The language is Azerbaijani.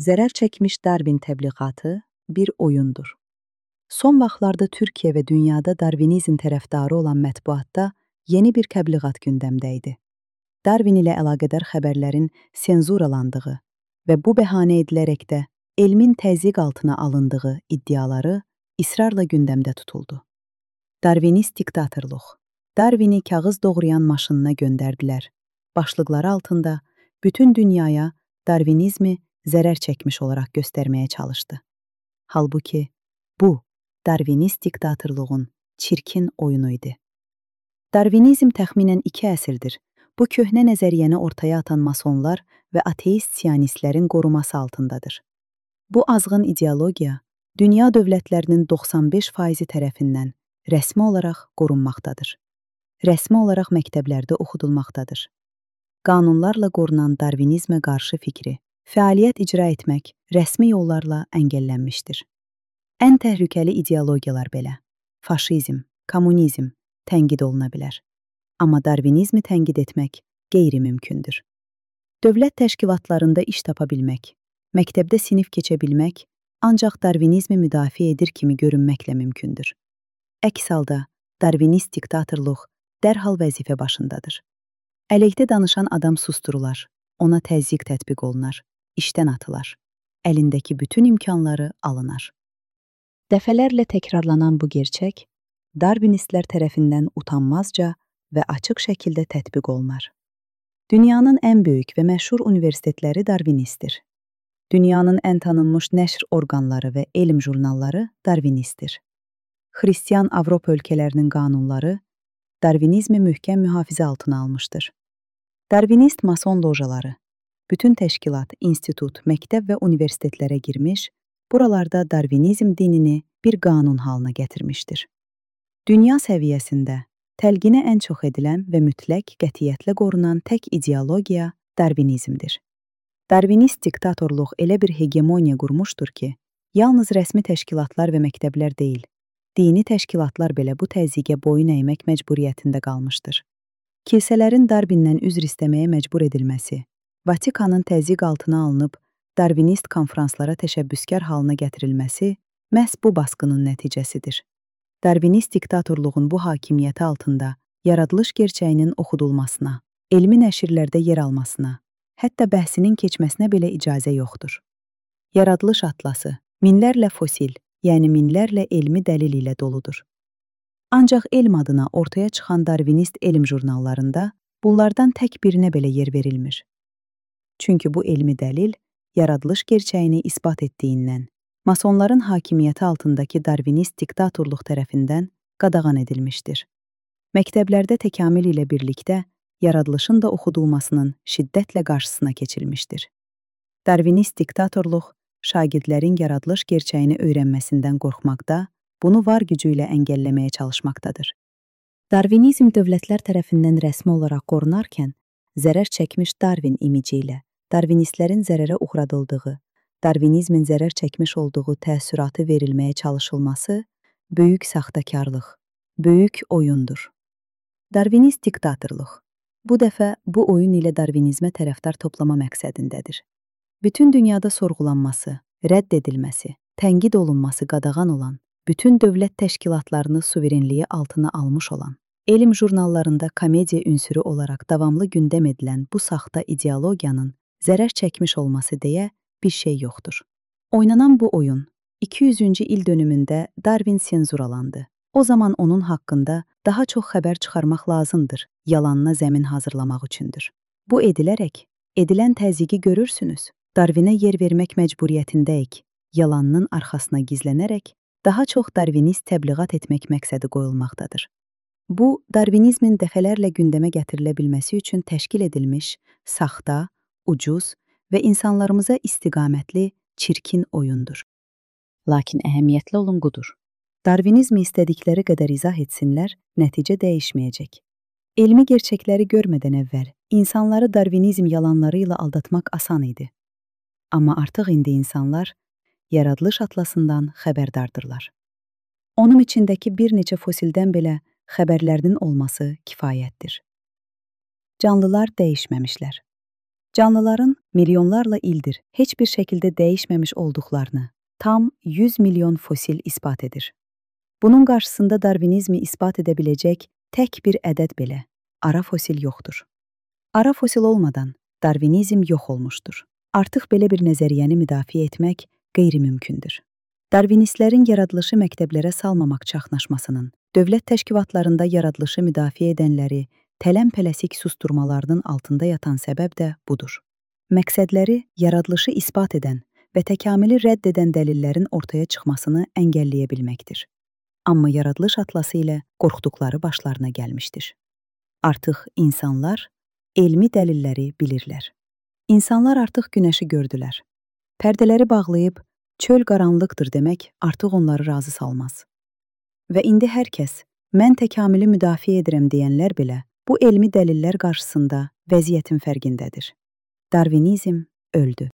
Zərər çəkmiş Darwin təbliğatı bir oyundur. Son vaxtlarda Türkiyə və dünyada Darwinizm tərəfdarı olan mətbuatda yeni bir təbliğat gündəmdə idi. Darwin ilə əlaqədar xəbərlərin senzuralandığı və bu bəhanə edilərək də elmin təzyiq altına alındığı iddiaları israrla gündəmdə tutuldu. Darwinist diktatorluq. Darwini kağız doğrayan maşınına göndərdilər. Başlıqları altında bütün dünyaya Darwinizmi zərər çəkmiş olaraq göstərməyə çalışdı. Halbuki bu, Darwinist diktatorluğun çirkin oyunu idi. Darwinizm təxminən 2 əsrdir bu köhnə nəzəriyyəni ortaya atan masonlar və ateist siyonistlərin qoruması altındadır. Bu azğın ideologiya dünya dövlətlərinin 95% tərəfindən rəsmi olaraq qorunmaqdadır. Rəsmi olaraq məktəblərdə oxudulmaqdadır. Qanunlarla qorunan Darwinizmə qarşı fikri fəaliyyət icra etmək rəsmi yollarla əngəllənmişdir. Ən təhlükəli ideologiyalar belə, faşizm, kommunizm tənqid oluna bilər. Amma Darwinizmi tənqid etmək qeyri-mümkündür. Dövlət təşkilatlarında iş tapa bilmək, məktəbdə sinif keçə bilmək ancaq Darwinizmi müdafiə edir kimi görünməklə mümkündür. Əks halda Darwinist diktatorluq dərhal vəzifə başındadır. Əleyhdə danışan adam susturular, ona təzyiq tətbiq olunar, işdən atılar, əlindəki bütün imkanları alınar. Dəfələrlə təkrarlanan bu gerçək, Darwinistlər tərəfindən utanmazca və açıq şəkildə tətbiq olunar. Dünyanın ən böyük və məşhur universitetləri Darwinistdir. Dünyanın ən tanınmış nəşr orqanları və elm jurnalları Darwinistdir. Xristian Avropa ölkələrinin qanunları Darwinizmi möhkəm mühafizə altına almışdır. Darwinist mason lojaları, bütün təşkilat, institut, məktəb və universitetlərə girmiş, buralarda Darwinizm dinini bir qanun halına gətirmişdir. Dünya səviyyəsində təlqinə ən çox edilən və mütləq qətiyyətlə qorunan tək ideologiya Darwinizmdir. Darwinist diktatorluq elə bir hegemoniya qurmuşdur ki, yalnız rəsmi təşkilatlar və məktəblər deyil, dini təşkilatlar belə bu təzyiqə boyun əymək məcburiyyətində qalmışdır. Kilsələrin Darwindən üzr istəməyə məcbur edilməsi, Vatikanın təzyiq altına alınıb Darwinist konfranslara təşəbbüskar halına gətirilməsi məhz bu baskının nəticəsidir. Darwinist diktatorluğun bu hakimiyyəti altında yaradılış gerçəyinin oxudulmasına, elmi nəşrlərdə yer almasına, hətta bəhsinin keçməsinə belə icazə yoxdur. Yaradılış atlası minlərlə fosil, yəni minlərlə elmi dəlil ilə doludur. Ancaq elm adına ortaya çıxan Darwinist elm jurnallarında bunlardan tək birinə belə yer verilmir. Çünki bu elmi dəlil yaradılış gerçəyini isbat etdiyindən, masonların hakimiyyəti altındakı Darwinist diktatorluq tərəfindən qadağan edilmişdir. Məktəblərdə təkamül ilə birlikdə yaradılışın da oxudulmasının şiddətlə qarşısına keçilmişdir. Darwinist diktatorluq şagirdlərin yaradılış gerçəyini öyrənməsindən qorxmaqda, bunu var gücü ilə əngəlləməyə çalışmaqdadır. Darwinizm dövlətlər tərəfindən rəsmi olaraq qorunarkən, zərər çəkmiş Darwin imici ilə Darwinistlərin zərərə uğradıldığı, Darwinizmin zərər çəkmiş olduğu təəssüratı verilməyə çalışılması böyük saxtakarlıq, böyük oyundur. Darwinist diktatorluq bu dəfə bu oyun ilə Darwinizmə tərəfdar toplama məqsədindədir. Bütün dünyada sorğulanması, rədd edilməsi, tənqid olunması qadağan olan, bütün dövlət təşkilatlarını suverenliyi altına almış olan, elm jurnallarında komediya ünsürü olaraq davamlı gündəm edilən bu saxta ideologiyanın zərər çəkmiş olması deyə bir şey yoxdur. Oynanan bu oyun 200-cü il dönümündə Darwin senzuralandı. O zaman onun haqqında daha çox xəbər çıxarmaq lazımdır, yalanına zəmin hazırlamaq üçündür. Bu edilərək, edilən təzyiqi görürsünüz. Darwinə yer vermək məcburiyyətindəyik, yalanının arxasına gizlənərək daha çox Darwinist təbliğat etmək məqsədi qoyulmaqdadır. Bu, Darwinizmin dəfələrlə gündəmə gətirilə bilməsi üçün təşkil edilmiş, saxta, ucuz və insanlarımıza istiqamətli, çirkin oyundur. Lakin əhəmiyyətli olan budur. Darwinizmi istədikləri qədər izah etsinlər, nəticə dəyişməyəcək. Elmi gerçəkləri görmədən əvvəl insanları Darwinizm yalanları ilə aldatmaq asan idi. Amma artıq indi insanlar yaradılış atlasından xəbərdardırlar. Onun içindəki bir neçə fosildən belə xəbərlərinin olması kifayətdir. Canlılar dəyişməmişlər. Canlıların milyonlarla ildir heç bir şəkildə dəyişməmiş olduqlarını tam 100 milyon fosil isbat edir. Bunun qarşısında Darvinizmi isbat edə biləcək tək bir ədəd belə, ara fosil yoxdur. Ara fosil olmadan Darvinizm yox olmuşdur. Artıq belə bir nəzəriyyəni müdafiə etmək qeyri-mümkündür. Darvinistlərin yaradılışı məktəblərə salmamaq çaxnaşmasının, dövlət təşkilatlarında yaradılışı müdafiə edənləri tələm-pələsik susturmalarının altında yatan səbəb də budur. Məqsədləri yaradılışı isbat edən və təkamülü rədd edən dəlillərin ortaya çıxmasını əngəlləyə bilməkdir. Amma yaradılış atlası ilə qorxduqları başlarına gəlmişdir. Artıq insanlar elmi dəlilləri bilirlər. İnsanlar artıq günəşi gördülər. Pərdələri bağlayıb, çöl qaranlıqdır demək artıq onları razı salmaz. Və indi hər kəs, mən təkamülü müdafiə edirəm deyənlər belə, bu elmi dəlillər qarşısında vəziyyətin fərqindədir. Darvinizm öldü.